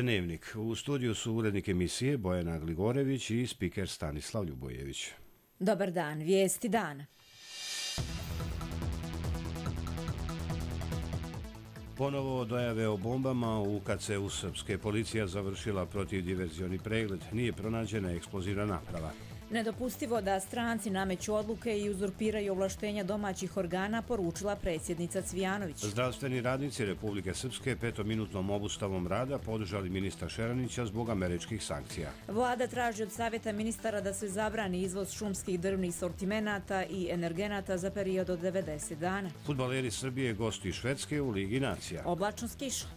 Dnevnik. U studiju su urednik emisije Bojana Gligorević i spiker Stanislav Ljubojević. Dobar dan, vijesti dana. Ponovo dojave o bombama. U UKC-u srpske policija završila protivdiverzioni pregled. Nije pronađena eksplozivna naprava. Nedopustivo da stranci nameću odluke i uzurpiraju ovlaštenja domaćih organa, poručila predsjednica Cvijanović. Zdravstveni radnici Republike Srpske 5-minutnom obustavom rada podržali ministra Šeranića zbog američkih sankcija. Vlada traži od Savjeta ministara da se zabrani izvoz šumskih drvnih sortimenata i energenata za period od 90 dana. Fudbaleri Srbije gosti Švedske u Ligi nacija. Oblačno s kišom.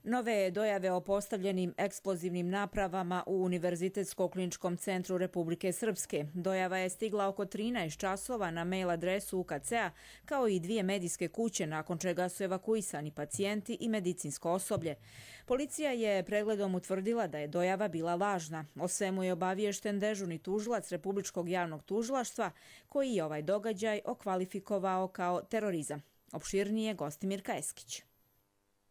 Nove dojave o postavljenim eksplozivnim napravama u Univerzitetsko-kliničkom centru Republike Srpske. Dojava je stigla oko 13 časova na mail adresu UKC-a, kao i 2 medijske kuće, nakon čega su evakuisani pacijenti i medicinsko osoblje. Policija je pregledom utvrdila da je dojava bila lažna. O svemu je obaviješten dežurni tužilac Republičkog javnog tužilaštva, koji je ovaj događaj okvalifikovao kao terorizam. Opširnije Gostimir Kajeskić.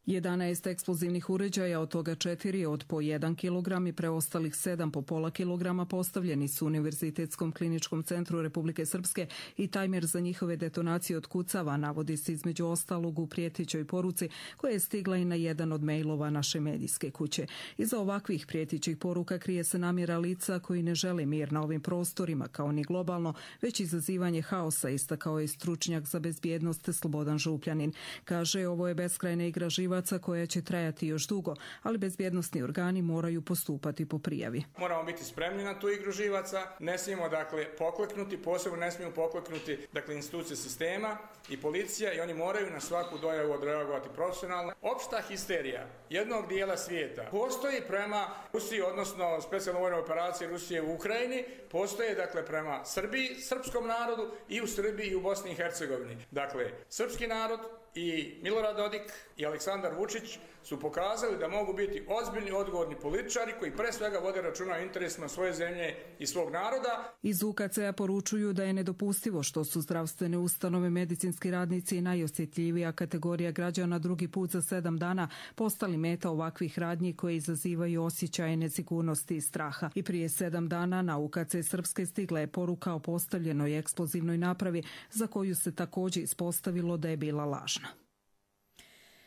11 eksplozivnih uređaja, od toga 4 od po 1 kg i preostalih 7 po pola kilograma postavljeni su u Univerzitetskom kliničkom centru Republike Srpske i tajmer za njihove detonacije otkucava, navodi se između ostalog u prijetećoj poruci koja je stigla i na jedan od mailova naše medijske kuće. Iza ovakvih prijetićih poruka krije se namjera lica koji ne žele mir na ovim prostorima, kao ni globalno, već izazivanje haosa, istakao je stručnjak za bezbjednost Slobodan Župljanin. Kaže, ovo je beskrajna igra koja će trajati još dugo, ali bezbjednosni organi moraju postupati po prijavi. Moramo biti spremni na tu igru živaca, ne smijemo pokleknuti, posebno ne smijemo pokleknuti institucije sistema i policija, i oni moraju na svaku dojavu odreagovati profesionalno. Opšta histerija jednog dijela svijeta postoji prema Rusiji, odnosno specijalnoj vojnoj operaciji Rusije u Ukrajini, postoje prema Srbiji, srpskom narodu i u Srbiji i u Bosni i Hercegovini. Srpski narod i Milorad Dodik i Aleksandar Vučić su pokazali da mogu biti ozbiljni, odgovorni političari koji pre svega vode računa o interesima svoje zemlje i svog naroda. Iz UKC-a poručuju da je nedopustivo što su zdravstvene ustanove, medicinski radnici i najosjetljivija kategorija građana drugi put za 7 dana postali meta ovakvih radnji koje izazivaju osjećaje nesigurnosti i straha. I prije 7 dana na UKC Srpske stigla je poruka o postavljenoj eksplozivnoj napravi za koju se također ispostavilo da je bila lažna.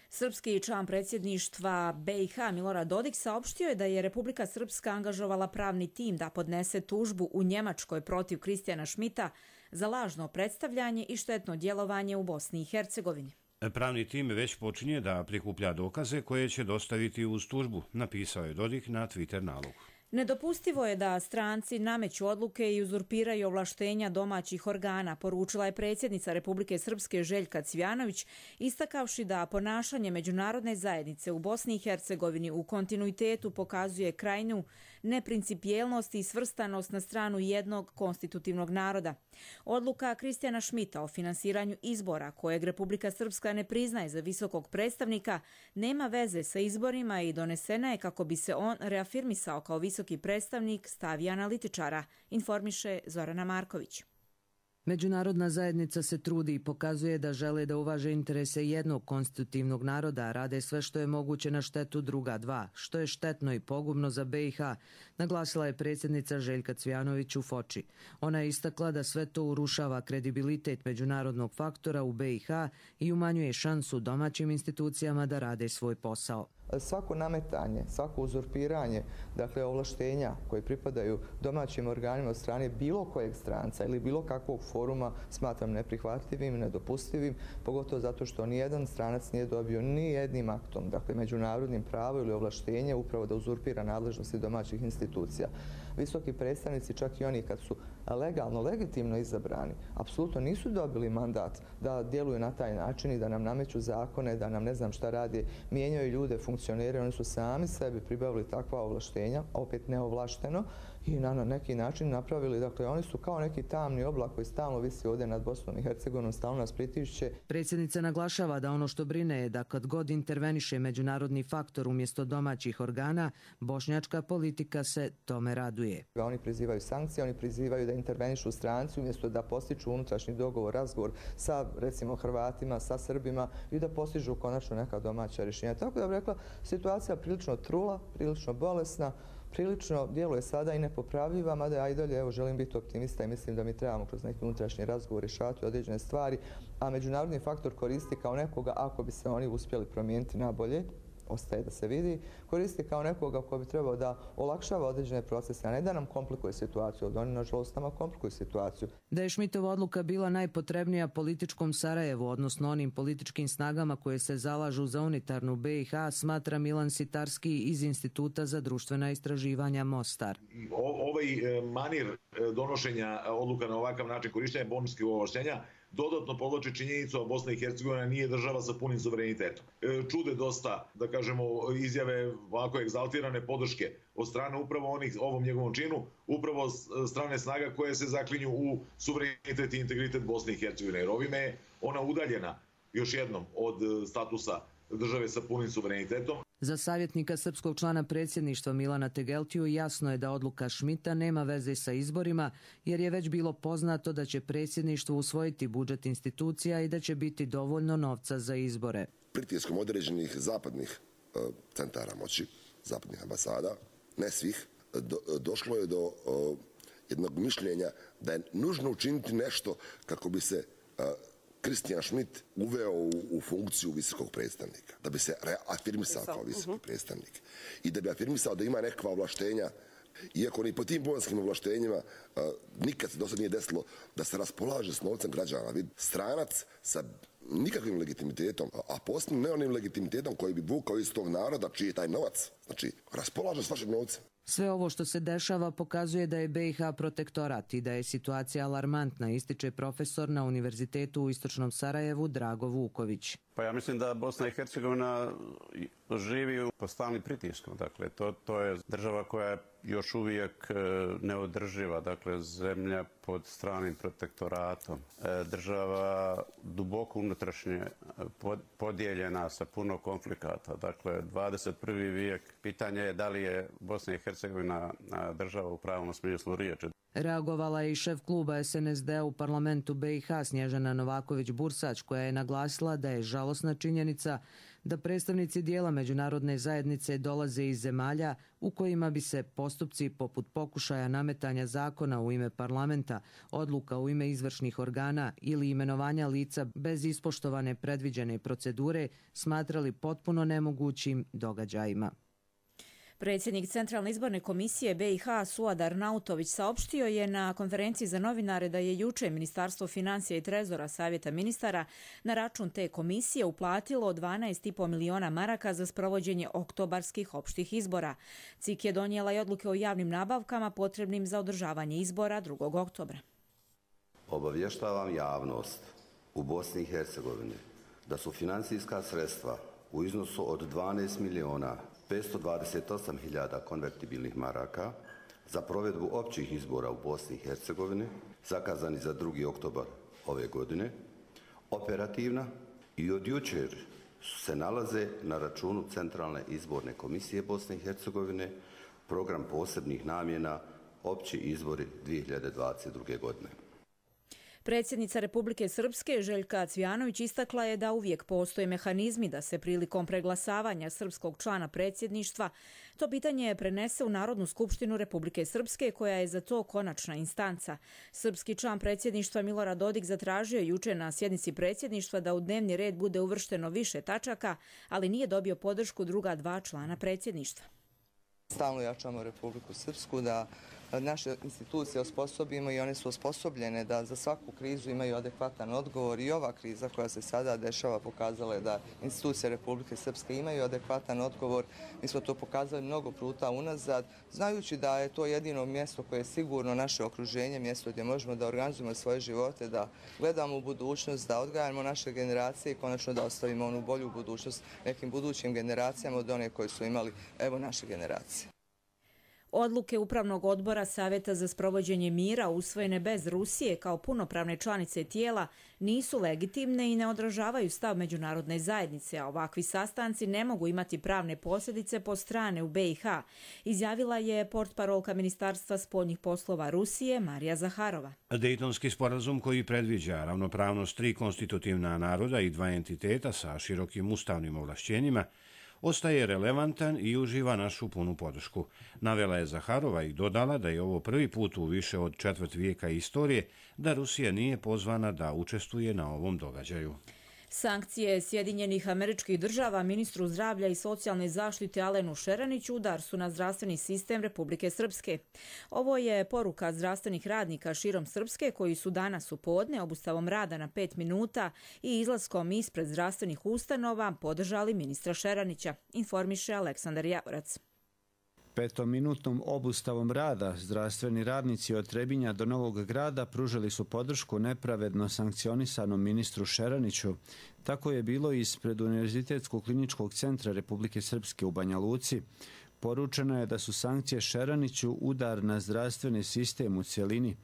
Srpski član predsjedništva BiH Milorad Dodik saopštio je da je Republika Srpska angažovala pravni tim da podnese tužbu u Njemačkoj protiv Kristijana Šmita za lažno predstavljanje i štetno djelovanje u Bosni i Hercegovini. Pravni tim već počinje da prikuplja dokaze koje će dostaviti uz tužbu, napisao je Dodik na Twitter nalogu. Nedopustivo je da stranci nameću odluke i uzurpiraju ovlaštenja domaćih organa, poručila je predsjednica Republike Srpske Željka Cvijanović, istakavši da ponašanje međunarodne zajednice u Bosni i Hercegovini u kontinuitetu pokazuje krajnju neprincipijelnost i svrstanost na stranu jednog konstitutivnog naroda. Odluka Kristijana Šmita o finansiranju izbora, kojeg Republika Srpska ne priznaje za visokog predstavnika, nema veze sa izborima i donesena je kako bi se on reafirmisao kao visoki predstavnik, stavi analitičara, informiše Zorana Marković. Međunarodna zajednica se trudi i pokazuje da žele da uvaže interese jednog konstitutivnog naroda, a rade sve što je moguće na štetu druga dva, što je štetno i pogubno za BiH, naglasila je predsjednica Željka Cvijanović u Foči. Ona je istakla da sve to urušava kredibilitet međunarodnog faktora u BiH i umanjuje šansu domaćim institucijama da rade svoj posao. Svako nametanje, svako uzurpiranje, ovlaštenja koje pripadaju domaćim organima od strane bilo kojeg stranca ili bilo kakvog foruma smatram neprihvatljivim i nedopustivim, pogotovo zato što nijedan stranac nije dobio ni jednim aktom, međunarodnim pravom ili ovlaštenje upravo da uzurpira nadležnosti domaćih institucija. Visoki predstavnici, čak i oni kad su legalno, legitimno izabrani, apsolutno nisu dobili mandat da djeluju na taj način i da nam nameću zakone, da nam ne znam šta rade, mijenjaju ljude, funkcioniraju funkcioneri, oni su sami sebi pribavili takva ovlaštenja, opet neovlašteno, i na neki način napravili, dakle oni su kao neki tamni oblak koji stalno visi ovdje nad Bosnom i Hercegovinom, stalno nas pritišće. Predsjednica naglašava da ono što brine je da kad god interveniše međunarodni faktor umjesto domaćih organa, bošnjačka politika se tome raduje. Oni prizivaju sankcije, oni prizivaju da intervenišu stranci umjesto da postiču unutrašnji dogovor, razgovor sa recimo Hrvatima, sa Srbima i da postižu konačno neka domaća rješenja. Tako da bih rekla, situacija prilično trula, prilično bolesna, prilično djeluje sada i nepopravljiva, mada ja i dalje želim biti optimista i mislim da mi trebamo kroz neki unutrašnji razgovor rješavati određene stvari, a međunarodni faktor koristi kao nekoga, ako bi se oni uspjeli promijeniti na bolje, ostaje da se vidi, koristi kao nekoga ko bi trebao da olakšava određene procese, a ne da nam komplikuje situaciju. Oni, nažalost, nama komplikuju situaciju. Da je Šmitova odluka bila najpotrebnija političkom Sarajevu, odnosno onim političkim snagama koje se zalažu za unitarnu BiH, smatra Milan Sitarski iz Instituta za društvena istraživanja Mostar. Ovaj manir donošenja odluka na ovakav način korištenja bonskih ovlaštenja dodatno podvlači činjenicu, a Bosna i Hercegovina nije država sa punim suverenitetom. Čude dosta, da kažemo, izjave ovako egzaltirane podrške od strane upravo ovom njegovom činu, upravo strane snaga koje se zaklinju u suverenitet i integritet Bosne i Hercegovine. Jer ovime je ona udaljena još jednom od statusa države sa punim suverenitetom. Za savjetnika srpskog člana predsjedništva Milana Tegeltiju jasno je da odluka Šmita nema veze sa izborima, jer je već bilo poznato da će predsjedništvo usvojiti budžet institucija i da će biti dovoljno novca za izbore. Pritiskom određenih zapadnih centara moći, zapadnih ambasada, ne svih, došlo je do jednog mišljenja da je nužno učiniti nešto kako bi se Kristijan Šmit uveo u funkciju visokog predstavnika, da bi se reafirmisao kao visoki predstavnik i da bi afirmisao da ima nekakva ovlaštenja, iako ni po tim bonskim ovlaštenjima nikad se do sad nije desilo da se raspolaže s novcem građana. Stranac sa nikakvim legitimitetom, a posebno ne onim legitimitetom koji bi vukao iz tog naroda čiji je taj novac. Znači, raspolaže s vašim novcem. Sve ovo što se dešava pokazuje da je BiH protektorat i da je situacija alarmantna, ističe profesor na Univerzitetu u Istočnom Sarajevu Drago Vuković. Pa ja mislim da Bosna i Hercegovina živi pod stalnim pritiskom. Dakle, to je država koja je još uvijek neodrživa, dakle zemlja pod stranim protektoratom. Država duboko unutrašnje podijeljena sa puno konflikata. Dakle, 21. vijek, pitanje je da li je Bosna i Hercegovina država u pravom smislu riječi. Reagovala je i šef kluba SNSD u parlamentu BiH Snježana Novaković-Bursač, koja je naglasila da je žalosna činjenica da predstavnici dijela međunarodne zajednice dolaze iz zemalja u kojima bi se postupci poput pokušaja nametanja zakona u ime parlamenta, odluka u ime izvršnih organa ili imenovanja lica bez ispoštovane predviđene procedure smatrali potpuno nemogućim događajima. Predsjednik Centralne izborne komisije BiH Suad Arnautović saopštio je na konferenciji za novinare da je juče Ministarstvo financija i trezora Savjeta ministara na račun te komisije uplatilo 12,5 miliona maraka za sprovođenje oktobarskih opštih izbora. CIK je donijela i odluke o javnim nabavkama potrebnim za održavanje izbora 2. oktobra. Obavještavam javnost u Bosni i Hercegovini da su financijska sredstva u iznosu od 12 miliona 528.000 konvertibilnih maraka za provedbu općih izbora u Bosni i Hercegovini, zakazani za 2. oktobar ove godine, operativna i od jučer se nalaze na računu Centralne izborne komisije Bosne i Hercegovine, program posebnih namjena, opći izbori 2022. godine. Predsjednica Republike Srpske Željka Cvjanović istakla je da uvijek postoje mehanizmi da se prilikom preglasavanja srpskog člana predsjedništva to pitanje prenese u Narodnu skupštinu Republike Srpske, koja je za to konačna instanca. Srpski član predsjedništva Milorad Dodik zatražio juče na sjednici predsjedništva da u dnevni red bude uvršteno više tačaka, ali nije dobio podršku druga dva člana predsjedništva. Stalno jačamo Republiku Srpsku da naše institucije osposobimo i one su osposobljene da za svaku krizu imaju adekvatan odgovor i ova kriza koja se sada dešava pokazala je da institucije Republike Srpske imaju adekvatan odgovor. Mi smo to pokazali mnogo puta unazad, znajući da je to jedino mjesto koje je sigurno naše okruženje, mjesto gdje možemo da organizujemo svoje živote, da gledamo u budućnost, da odgajamo naše generacije i konačno da ostavimo onu bolju budućnost nekim budućim generacijama od one koje su imali naše generacije. Odluke Upravnog odbora Saveta za sprovođenje mira usvojene bez Rusije kao punopravne članice tijela nisu legitimne i ne odražavaju stav međunarodne zajednice, a ovakvi sastanci ne mogu imati pravne posljedice po strane u BiH, izjavila je portparolka Ministarstva spoljnih poslova Rusije Marija Zaharova. Dejtonski sporazum koji predviđa ravnopravnost 3 konstitutivna naroda i 2 entiteta sa širokim ustavnim ovlašćenjima ostaje relevantan i uživa našu punu podršku. Navela je Zaharova i dodala da je ovo prvi put u više od četvrt vijeka istorije da Rusija nije pozvana da učestvuje na ovom događaju. Sankcije Sjedinjenih Američkih Država ministru zdravlja i socijalne zaštite Alenu Šeraniću udar su na zdravstveni sistem Republike Srpske. Ovo je poruka zdravstvenih radnika širom Srpske koji su danas u podne obustavom rada na 5 minuta i izlaskom ispred zdravstvenih ustanova podržali ministra Šeranića, informiše Aleksandar Javorac. 5-minutnom obustavom rada zdravstveni radnici od Trebinja do Novog Grada pružili su podršku nepravedno sankcionisanom ministru Šeraniću. Tako je bilo ispred Univerzitetskog kliničkog centra Republike Srpske u Banja Luci. Poručeno je da su sankcije Šeraniću udar na zdravstveni sistem u cjelini.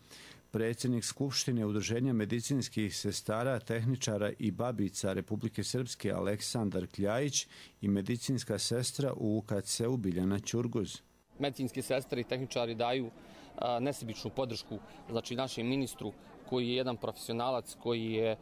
Predsjednik Skupštine Udruženja medicinskih sestara, tehničara i babica Republike Srpske Aleksandar Kljajić i medicinska sestra u UKC-u Biljana Ćurguz. Medicinske sestre i tehničari daju nesebičnu podršku našem ministru koji je jedan profesionalac koji je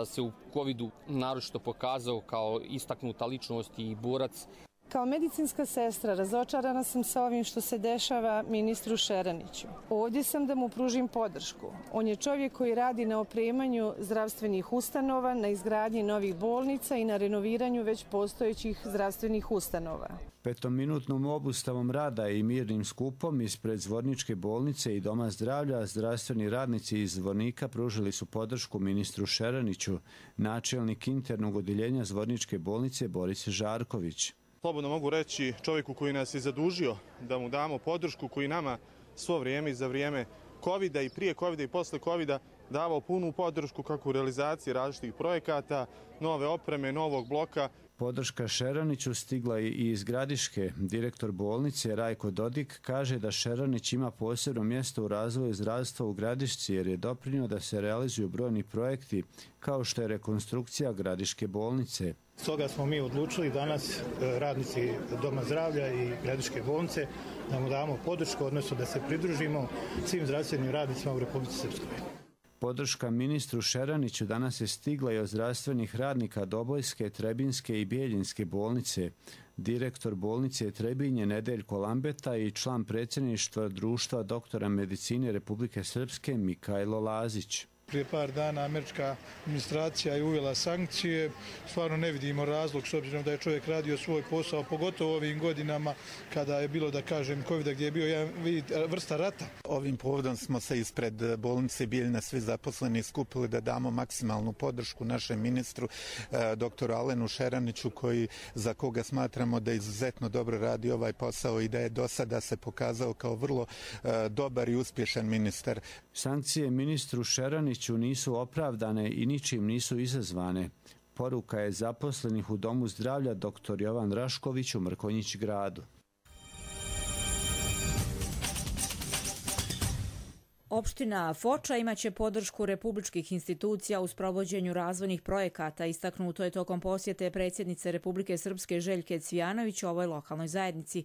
se u covidu naročito pokazao kao istaknuta ličnost i borac. Kao medicinska sestra razočarana sam sa ovim što se dešava ministru Šeraniću. Ovdje sam da mu pružim podršku. On je čovjek koji radi na opremanju zdravstvenih ustanova, na izgradnji novih bolnica i na renoviranju već postojećih zdravstvenih ustanova. 5-minutnom obustavom rada i mirnim skupom ispred Zvorničke bolnice i Doma zdravlja zdravstveni radnici iz Zvornika pružili su podršku ministru Šeraniću, načelnik internog odjeljenja Zvorničke bolnice Boris Žarković. Slobodno mogu reći čovjeku koji nas je zadužio da mu damo podršku, koji nama svo vrijeme i za vrijeme covida i prije covida i posle covida davao punu podršku kako u realizaciji različitih projekata, nove opreme, novog bloka. Podrška Šeraniću stigla je i iz Gradiške. Direktor bolnice Rajko Dodik kaže da Šeranić ima posebno mjesto u razvoju zdravstva u Gradišci jer je doprinio da se realizuju brojni projekti kao što je rekonstrukcija Gradiške bolnice. Stoga smo mi odlučili danas, radnici Doma zdravlja i Gradiške bolnice, da mu damo podršku, odnosno da se pridružimo svim zdravstvenim radnicima u Republici Srpskoj. Podrška ministru Šeraniću danas je stigla i od zdravstvenih radnika Dobojske, Trebinske i Bijeljinske bolnice. Direktor bolnice Trebinje Nedeljko Lambeta i član predsjedništva Društva doktora medicine Republike Srpske Mikajlo Lazić. Prije par dana američka administracija je uvela sankcije. Stvarno ne vidimo razlog s obzirom da je čovjek radio svoj posao, pogotovo ovim godinama kada je bilo, da kažem, COVID-a gdje je bio jedan vrsta rata. Ovim povodom smo se ispred bolnice Bijeljina svi zaposleni skupili da damo maksimalnu podršku našem ministru, doktoru Alenu Šeraniću, za koga smatramo da izuzetno dobro radi ovaj posao i da je do sada se pokazao kao vrlo dobar i uspješan ministar. Sankcije ministru Šeraniću nisu opravdane i ničim nisu izazvane. Poruka je zaposlenih u Domu zdravlja dr. Jovan Rašković u Mrkonjić gradu. Opština Foča imaće podršku republičkih institucija u sprovođenju razvojnih projekata, istaknuto je tokom posjete predsjednice Republike Srpske Željke Cvijanović ovoj lokalnoj zajednici.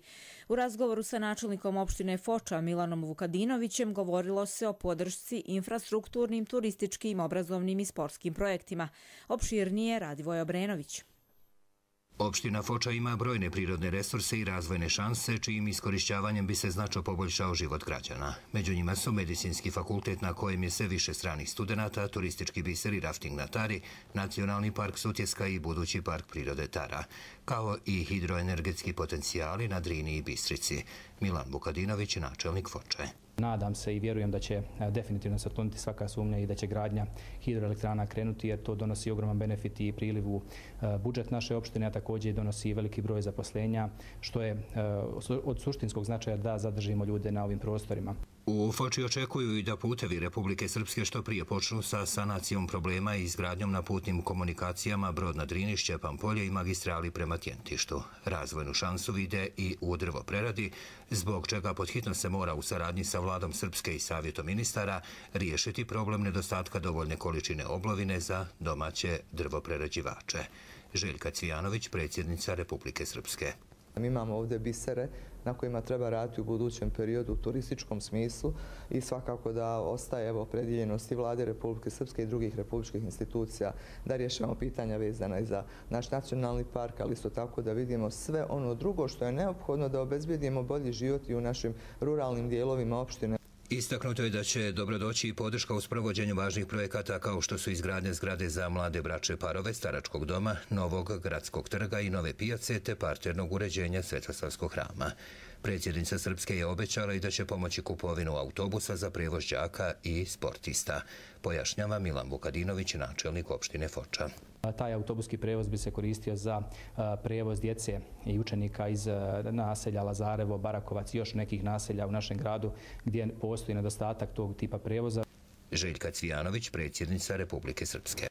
U razgovoru sa načelnikom opštine Foča Milanom Vukadinovićem govorilo se o podršci infrastrukturnim, turističkim, obrazovnim i sportskim projektima. Opširnije Radivoj Obrenović. Opština Foča ima brojne prirodne resurse i razvojne šanse, čijim iskorišćavanjem bi se značajno poboljšao život građana. Među njima su Medicinski fakultet na kojem je sve više stranih studenata, turistički biser i rafting na Tari, Nacionalni park Sutjeska i budući park prirode Tara, kao i hidroenergetski potencijali na Drini i Bistrici. Milan Vukadinović, načelnik Foče. Nadam se i vjerujem da će definitivno se otkloniti svaka sumnja i da će gradnja hidroelektrana krenuti, jer to donosi ogroman benefit i priliv u budžet naše opštine, a također donosi veliki broj zaposlenja, što je od suštinskog značaja da zadržimo ljude na ovim prostorima. U Foči očekuju i da putevi Republike Srpske što prije počnu sa sanacijom problema i izgradnjom na putnim komunikacijama Brod na Drini, Šćepan polje i magistrali prema Tjentištu. Razvojnu šansu vide i u drvopreradi, zbog čega pod hitno se mora u saradnji sa vladom Srpske i savjetom ministara riješiti problem nedostatka dovoljne količine oblovine za domaće drvoprerađivače. Željka Cvijanović, predsjednica Republike Srpske. Mi imamo ovdje bisere na kojima treba raditi u budućem periodu u turističkom smislu i svakako da ostaje opredjeljenost i vlade Republike Srpske i drugih republičkih institucija da rješavamo pitanja vezana i za naš nacionalni park, ali isto tako da vidimo sve ono drugo što je neophodno da obezbedimo bolji život i u našim ruralnim dijelovima opštine. Istaknuto je da će dobrodoći i podrška u sprovođenju važnih projekata kao što su izgradnje zgrade za mlade bračne parove, staračkog doma, novog gradskog trga i nove pijace te parternog uređenja Svetosavskog hrama. Predsjednica Srpske je obećala i da će pomoći kupovinu autobusa za prevoz đaka i sportista, pojašnjava Milan Vukadinović, načelnik opštine Foča. Taj autobuski prevoz bi se koristio za prevoz djece i učenika iz naselja Lazarevo, Barakovac i još nekih naselja u našem gradu gdje postoji nedostatak tog tipa prevoza. Željka Cvijanović, predsjednica Republike Srpske.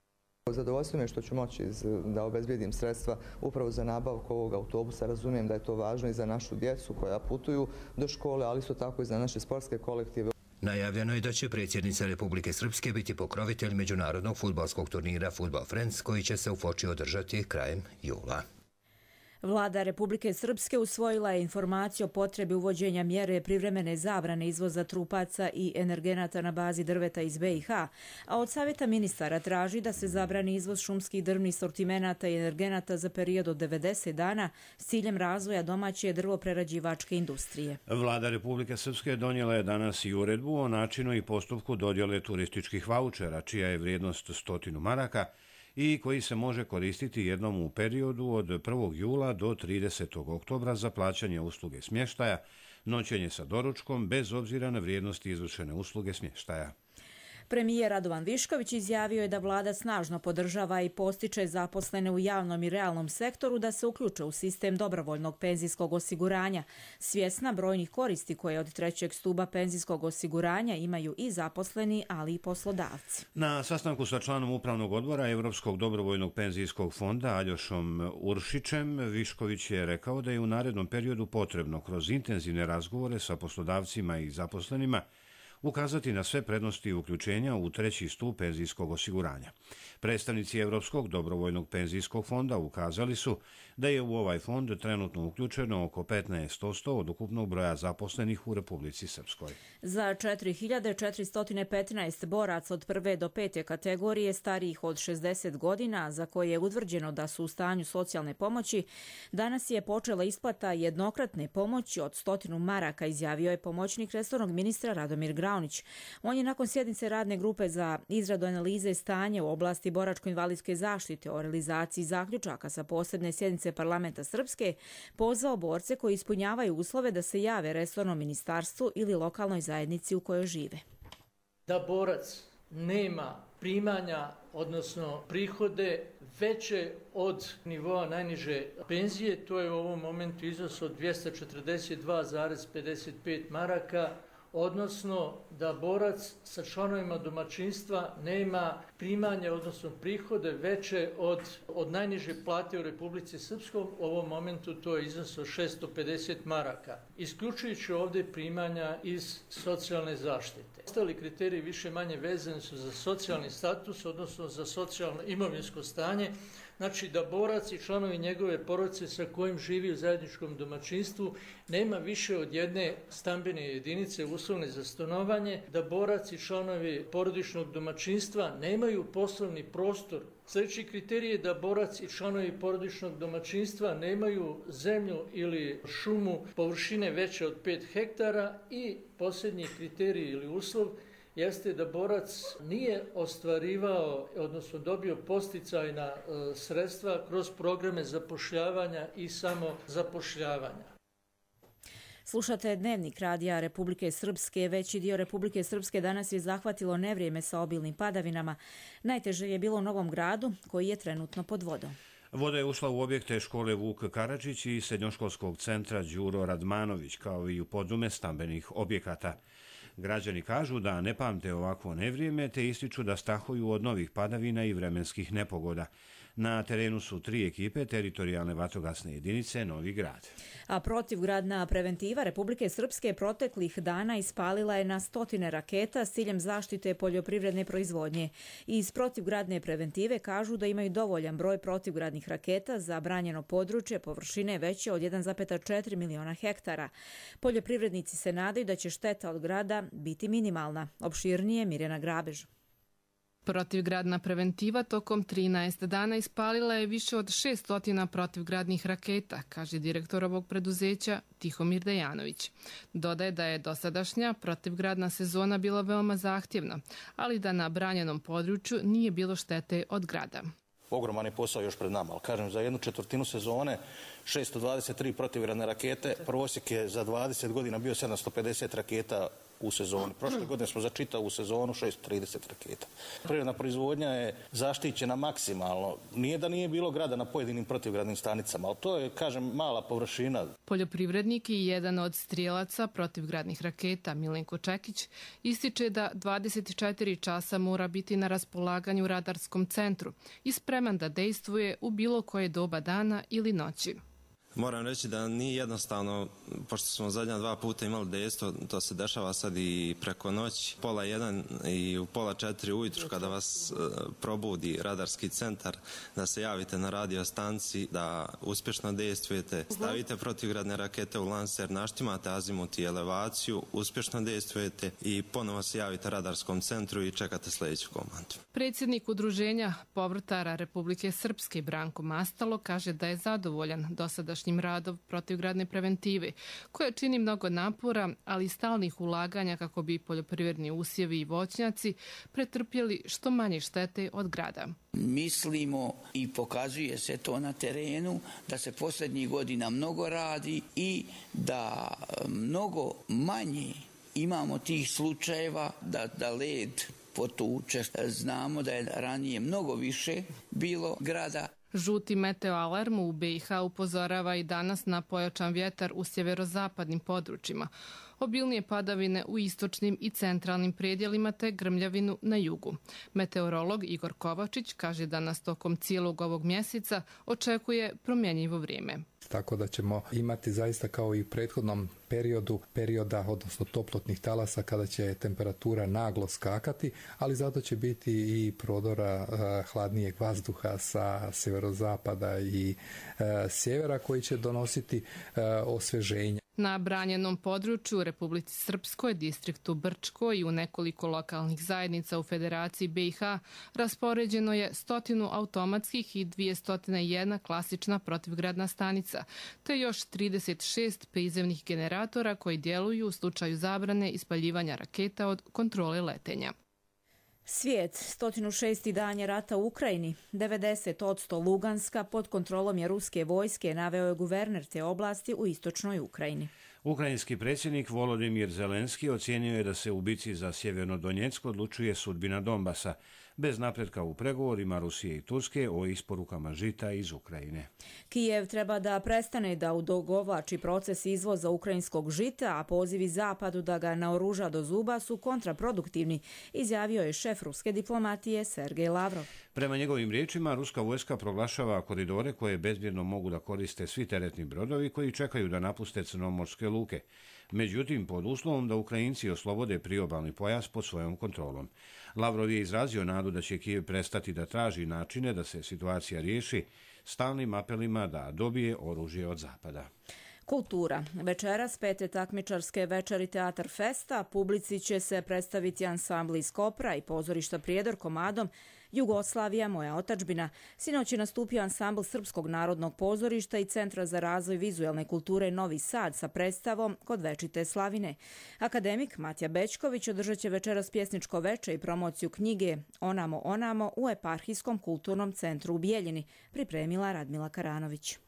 Zadovoljstvo je što ću moći da obezbijedim sredstva upravo za nabavku ovog autobusa. Razumijem da je to važno i za našu djecu koja putuju do škole, ali isto tako i za naše sportske kolektive. Najavljeno je da će predsjednica Republike Srpske biti pokrovitelj međunarodnog fudbalskog turnira Football Friends koji će se u Foči održati krajem jula. Vlada Republike Srpske usvojila je informaciju o potrebi uvođenja mjere privremene zabrane izvoza trupaca i energenata na bazi drveta iz BiH, a od Savjeta ministara traži da se zabrani izvoz šumskih drvnih sortimenata i energenata za period od 90 dana s ciljem razvoja domaće drvoprerađivačke industrije. Vlada Republike Srpske donijela je danas i uredbu o načinu i postupku dodjele turističkih vaučera, čija je vrijednost 100 maraka, i koji se može koristiti jednom u periodu od 1. jula do 30. oktobra za plaćanje usluge smještaja, noćenje sa doručkom, bez obzira na vrijednosti izvršene usluge smještaja. Premijer Radovan Višković izjavio je da vlada snažno podržava i postiče zaposlene u javnom i realnom sektoru da se uključe u sistem dobrovoljnog penzijskog osiguranja, svjesna brojnih koristi koje od trećeg stuba penzijskog osiguranja imaju i zaposleni, ali i poslodavci. Na sastanku sa članom Upravnog odbora Europskog dobrovoljnog penzijskog fonda Aljošom Uršićem, Višković je rekao da je u narednom periodu potrebno kroz intenzivne razgovore sa poslodavcima i zaposlenima ukazati na sve prednosti uključenja u treći stup penzijskog osiguranja. Predstavnici Europskog dobrovoljnog penzijskog fonda ukazali su da je u ovaj fond trenutno uključeno oko 15% od ukupnog broja zaposlenih u Republici Srpskoj. Za 4415 boraca od 1. do 5. kategorije starijih od 60 godina, za koje je utvrđeno da su u stanju socijalne pomoći, danas je počela isplata jednokratne pomoći od 100 maraka, izjavio je pomoćnik resornog ministra Radomir Graunić. On je nakon sjednice radne grupe za izradu analize stanja u oblasti boračko-invalidske zaštite o realizaciji zaključaka sa posebne sjednice Parlamenta Srpske pozvao borce koji ispunjavaju uslove da se jave resornom ministarstvu ili lokalnoj zajednici u kojoj žive. Da borac nema primanja, odnosno prihode veće od nivoa najniže penzije, to je u ovom momentu iznos od 242,55 maraka, odnosno da borac sa članovima domaćinstva nema primanje, odnosno prihode veće od najniže plate u Republici Srpskoj, u ovom momentu to je iznos od 650 maraka, isključujući ovdje primanja iz socijalne zaštite. Ostali kriteriji više manje vezani su za socijalni status, odnosno za socijalno imovinsko stanje, znači da borac i članovi njegove porodice sa kojim živi u zajedničkom domaćinstvu nema više od jedne stambene jedinice uslovne za stanovanje, da borac i članovi porodičnog domaćinstva nemaju poslovni prostor Sljedeći kriterij je da borac i članovi porodičnog domaćinstva nemaju zemlju ili šumu površine veće od 5 hektara i posljednji kriterij ili uslov jeste da borac nije ostvarivao, odnosno dobio podsticajna sredstva kroz programe zapošljavanja i samozapošljavanja. Slušate Dnevnik radija Republike Srpske. Veći dio Republike Srpske danas je zahvatilo nevrijeme sa obilnim padavinama. Najteže je bilo u Novom Gradu, koji je trenutno pod vodom. Voda je ušla u objekte škole Vuk Karadžić i srednjoškolskog centra Đuro Radmanović, kao i u podrume stambenih objekata. Građani kažu da ne pamte ovakvo nevrijeme, te ističu da strahuju od novih padavina i vremenskih nepogoda. Na terenu su 3 ekipe teritorijalne vatrogasne jedinice Novi Grad. A protivgradna preventiva Republike Srpske proteklih dana ispalila je na 100 raketa s ciljem zaštite poljoprivredne proizvodnje. Iz protivgradne preventive kažu da imaju dovoljan broj protivgradnih raketa za branjeno područje površine veće od 1,4 miliona hektara. Poljoprivrednici se nadaju da će šteta od grada biti minimalna. Opširnije Mirjana Grabež. Protivgradna preventiva tokom 13 dana ispalila je više od 600 protivgradnih raketa, kaže direktor ovog preduzeća Tihomir Dejanović. Dodaje da je dosadašnja protivgradna sezona bila veoma zahtjevna, ali da na branjenom području nije bilo štete od grada. Ogroman je posao još pred nama, ali kažem, za 1/4 sezone 623 protivgradne rakete, prosjek je za 20 godina bio 750 raketa u sezoni. Prošle godine smo za čitavu sezonu 630 raketa. Prirodna proizvodnja je zaštićena maksimalno. Nije da nije bilo grada na pojedinim protivgradnim stanicama, ali to je, kažem, mala površina. Poljoprivrednik i jedan od strijelaca protivgradnih raketa, Milenko Čekić, ističe da 24 časa mora biti na raspolaganju radarskom centru i spreman da dejstvuje u bilo koje doba dana ili noći. Moram reći da nije jednostavno, pošto smo zadnja 2 puta imali dejstvo, to se dešava sad i preko noći, 1:30 i u 3:30 ujutru kada vas probudi radarski centar, da se javite na radio stanci, da uspješno dejstvujete, stavite protivgradne rakete u lanser, naštimate azimut i elevaciju, uspješno dejstvujete i ponovo se javite radarskom centru i čekate sljedeću komandu. Predsjednik Udruženja povrtara Republike Srpske Branko Mastalo kaže da je zadovoljan dosadašnjim radom protivgradne preventive, koja čini mnogo napora, ali i stalnih ulaganja kako bi poljoprivredni usjevi i voćnjaci pretrpjeli što manje štete od grada. Mislimo i pokazuje se to na terenu da se posljednjih godina mnogo radi i da mnogo manje imamo tih slučajeva da led potuče. Znamo da je ranije mnogo više bilo grada. Žuti meteoalarm u BiH upozorava i danas na pojačan vjetar u sjeverozapadnim područjima, obilnije padavine u istočnim i centralnim predjelima te grmljavinu na jugu. Meteorolog Igor Kovačić kaže da nas tokom cijelog ovog mjeseca očekuje promjenjivo vrijeme. Tako da ćemo imati zaista kao i u prethodnom perioda, odnosno toplotnih talasa kada će temperatura naglo skakati, ali zato će biti i prodora hladnijeg vazduha sa sjeverozapada i sjevera koji će donositi osvježenje. Na branjenom području u Republici Srpskoj, distriktu Brčko i u nekoliko lokalnih zajednica u Federaciji BiH raspoređeno je 100 automatskih i 201 klasična protivgradna stanica, te još 36 prizemnih generatora koji djeluju u slučaju zabrane ispaljivanja raketa od kontrole letenja. Svijet, 106. dan je rata u Ukrajini. 90% Luganska pod kontrolom je ruske vojske, naveo je guverner te oblasti u istočnoj Ukrajini. Ukrajinski predsjednik Volodimir Zelenski ocijenio je da se u bici za Sjeverno Donjecko odlučuje sudbina Donbasa, bez napretka u pregovorima Rusije i Turske o isporukama žita iz Ukrajine. Kijev treba da prestane da odugovlači proces izvoza ukrajinskog žita, a pozivi Zapadu da ga naoruža do zuba su kontraproduktivni, izjavio je šef ruske diplomatije Sergej Lavrov. Prema njegovim riječima, ruska vojska proglašava koridore koje bezbjedno mogu da koriste svi teretni brodovi koji čekaju da napuste crnomorske luke. Međutim, pod uslovom da Ukrajinci oslobode priobalni pojas pod svojom kontrolom. Lavrov je izrazio nadu da će Kijev prestati da traži načine da se situacija riješi stalnim apelima da dobije oružje od Zapada. Kultura. Večeras 5. takmičarske večeri Teatar Festa publici će se predstaviti ansambli iz Kopra i pozorišta Prijedor komadom Jugoslavija, moja otadžbina. Sinoć je nastupio ansambl Srpskog narodnog pozorišta i Centra za razvoj vizuelne kulture Novi Sad sa predstavom Kod večite slavine. Akademik Matija Bećković održat će večeras pjesničko veče i promociju knjige Onamo, onamo u Eparhijskom kulturnom centru u Bijeljini, pripremila Radmila Karanović.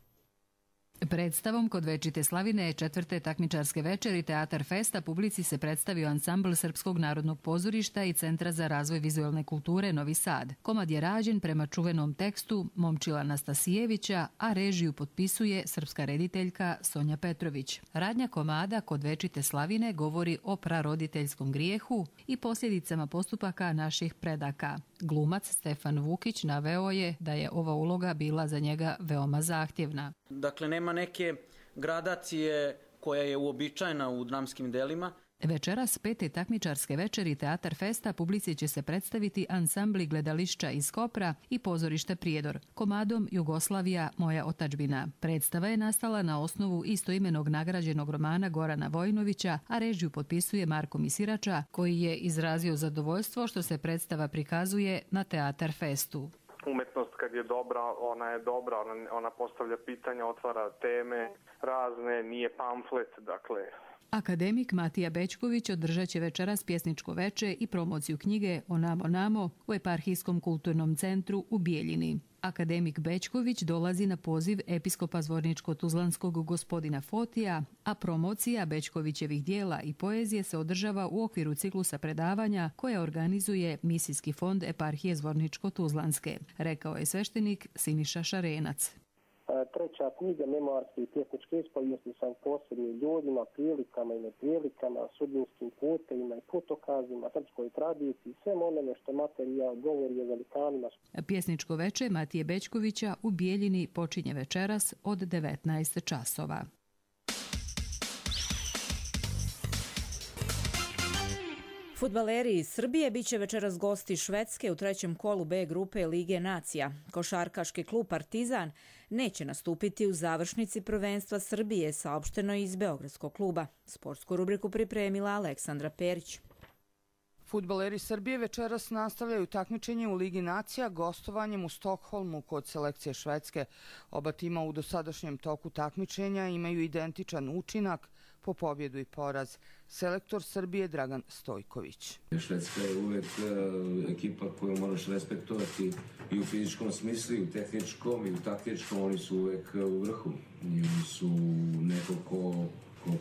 Predstavom Kod večite slavine četvrte takmičarske večeri Teatar Festa publici se predstavio ansambl Srpskog narodnog pozorišta i Centra za razvoj vizuelne kulture Novi Sad. Komad je rađen prema čuvenom tekstu Momčila Nastasijevića, a režiju potpisuje srpska rediteljka Sonja Petrović. Radnja komada Kod večite slavine govori o praroditeljskom grijehu i posljedicama postupaka naših predaka. Glumac Stefan Vukić naveo je da je ova uloga bila za njega veoma zahtjevna. Dakle, nema neke gradacije koja je uobičajena u dramskim delima. Večeras pete takmičarske večeri Teatar Festa publici će se predstaviti ansambli gledališća iz Kopra i pozorište Prijedor, komadom Jugoslavija, moja otadžbina. Predstava je nastala na osnovu istoimenog nagrađenog romana Gorana Vojnovića, a režiju potpisuje Marko Misirača, koji je izrazio zadovoljstvo što se predstava prikazuje na Teatar Festu. Umetnost kad je dobra, ona postavlja pitanja, otvara teme razne, nije pamflet, dakle. Akademik Matija Bećković održat će večeras pjesničko veče i promociju knjige Onamo, namo u Eparhijskom kulturnom centru u Bijeljini. Akademik Bećković dolazi na poziv episkopa Zvorničko-Tuzlanskog gospodina Fotija, a promocija Bećkovićevih dijela i poezije se održava u okviru ciklusa predavanja koje organizuje Misijski fond Eparhije Zvorničko-Tuzlanske, rekao je sveštenik Siniša Šarenac. Treća knjiga, memoarske i pjesničke ispovijesti sam posebnim ljudima, prilikama i neprilikama, sudbinskim putevima i putokazima, srpskoj tradiciji, svem onome što materijal govori o velikanima. Pjesničko veče Matije Bećkovića u Bijeljini počinje večeras od 19 časova. Fudbaleri iz Srbije biće večeras gosti Švedske u trećem kolu B grupe Lige nacija. Košarkaški klub Partizan neće nastupiti u završnici prvenstva Srbije, saopšteno iz Beogradskog kluba. Sportsku rubriku pripremila Aleksandra Perić. Fudbaleri Srbije večeras nastavljaju takmičenje u Ligi nacija gostovanjem u Stokholmu kod selekcije Švedske. Oba tima u dosadašnjem toku takmičenja imaju identičan učinak po pobjedu i poraz. Selektor Srbije Dragan Stojković. Švedska je uvek ekipa koju moraš respektovati i u fizičkom smislu, i u tehničkom, i u taktičkom. Oni su uvek u vrhu. Oni su neko ko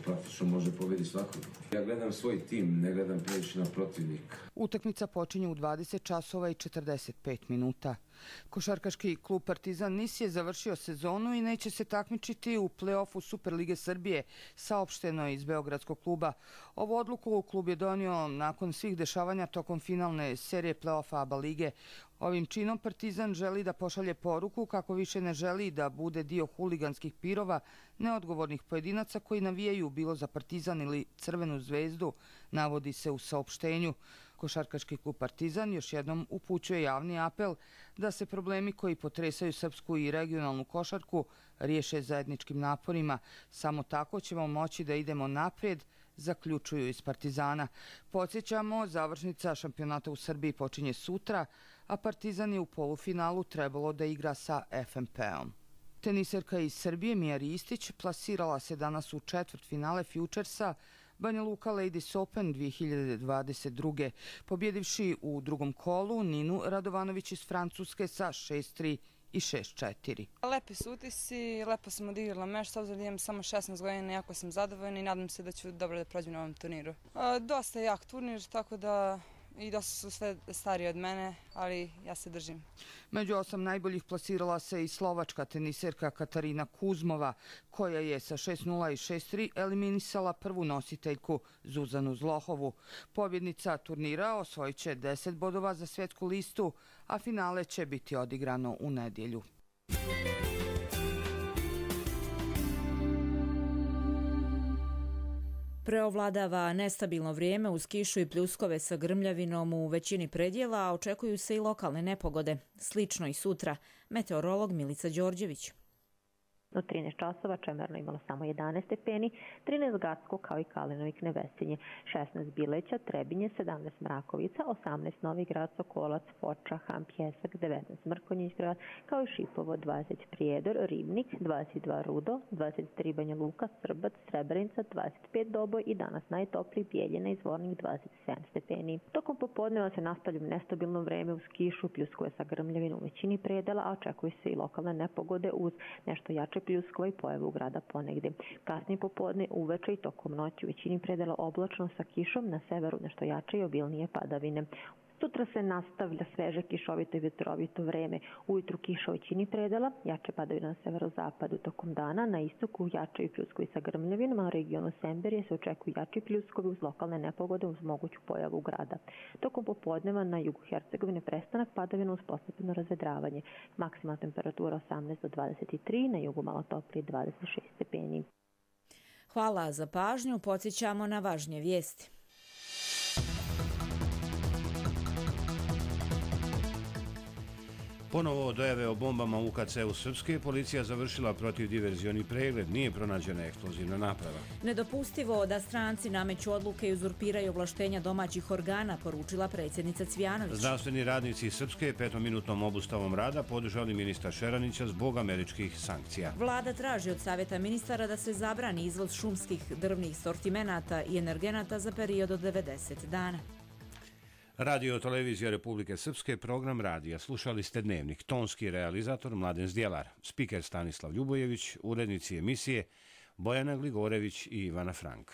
praktično može pobediti svakog. Ja gledam svoj tim, ne gledam previše na protivnika. Utakmica počinje u 20 časova i 45 minuta. Košarkaški klub Partizan Nis je završio sezonu i neće se takmičiti u play-offu Superlige Srbije, saopšteno je iz Beogradskog kluba. Ovu odluku klub je donio nakon svih dešavanja tokom finalne serije play-offa ABA lige. Ovim činom Partizan želi da pošalje poruku kako više ne želi da bude dio huliganskih pirova, neodgovornih pojedinaca koji navijaju bilo za Partizan ili Crvenu zvezdu, navodi se u saopštenju. Košarkaški klub Partizan još jednom upućuje javni apel da se problemi koji potresaju srpsku i regionalnu košarku riješe zajedničkim naporima. Samo tako ćemo moći da idemo naprijed, zaključuju iz Partizana. Podsjećamo, završnica šampionata u Srbiji počinje sutra, a Partizan je u polufinalu trebalo da igra sa FNP-om. Teniserka iz Srbije Mija Ristić plasirala se danas u četvrtfinale Futuresa Banja Luka Ladies Open 2022. pobjedivši u drugom kolu Ninu Radovanović iz Francuske sa 6-3 i 6-4. Lepi su utisci, lepo sam odigrala meč, s obzirom da imam samo 16 godina, jako sam zadovoljna i nadam se da ću dobro da prođem na ovom turniru. Dosta je jak turnir, tako da i dosta su sve stariji od mene, ali ja se držim. Među 8 najboljih plasirala se i slovačka teniserka Katarina Kuzmova, koja je sa 6-0 i 6-3 eliminisala prvu nositeljku Zuzanu Zlohovu. Pobjednica turnira osvojit će 10 bodova za svjetsku listu, a finale će biti odigrano u nedjelju. Preovladava nestabilno vrijeme uz kišu i pljuskove sa grmljavinom u većini predjela, a očekuju se i lokalne nepogode. Slično i sutra. Meteorolog Milica Đorđević. U 13 časova Čemerno imalo samo 11 stepeni, 13 Gacko kao i Kalinovo i Knevesinje, 16 Bileća, Trebinje, 17 Mrakovica, 18 Novi Grad, Sokolac, Foča, Ham, Pjesak, 19 Mrkonjić grad, kao i Šipovo, 20 Prijedor, Ribnik, 22 Rudo, 23 Banja Luka, Srbac, Srebrenica, 25 Doboj i danas najtopliji Bijeljina i Zvornik 27 stepeni. Tokom popodneva se nastavlja nestabilno vreme uz kišu, pljuskove sa grmljavina u većini predela, a očekuju se i lokalne nepogode uz nešto jače pljuskova i pojavu grada ponegde. Kasnije popodne, uveče i tokom noći u većini predela oblačno sa kišom, na severu nešto jače i obilnije padavine. Sutra se nastavlja sveže kišovito i vetrovito vreme. Ujutru kiša u većini predela, jače padavine na severozapadu tokom dana, na istoku jačaju pljuskovi sa grmljavinama, u regionu Semberije se očekuju jači pljuskovi uz lokalne nepogode uz moguću pojavu grada. Tokom popodneva na jugu Hercegovine prestanak padavina uz postepeno razvedravanje. Maksimalna temperatura 18 do 23, na jugu malo toplije 26 stepeni. Hvala za pažnju, podsjećamo na važnije vijesti. Ponovo dojave o bombama u UKC-u Srpske, policija završila protivdiverzioni pregled, nije pronađena eksplozivna naprava. Nedopustivo da stranci nameću odluke i uzurpiraju ovlaštenja domaćih organa, poručila predsjednica Cvjanović. Zdravstveni radnici Srpske 5-minutnom obustavom rada podržali ministra Šeranića zbog američkih sankcija. Vlada traži od Savjeta ministara da se zabrani izvoz šumskih drvnih sortimenata i energenata za period od 90 dana. Radio televizija Republike Srpske, program radija. Slušali ste Dnevnik. Tonski realizator Mladen Zdjelar, spiker Stanislav Ljubojević, urednici emisije Bojana Gligorević i Ivana Frank.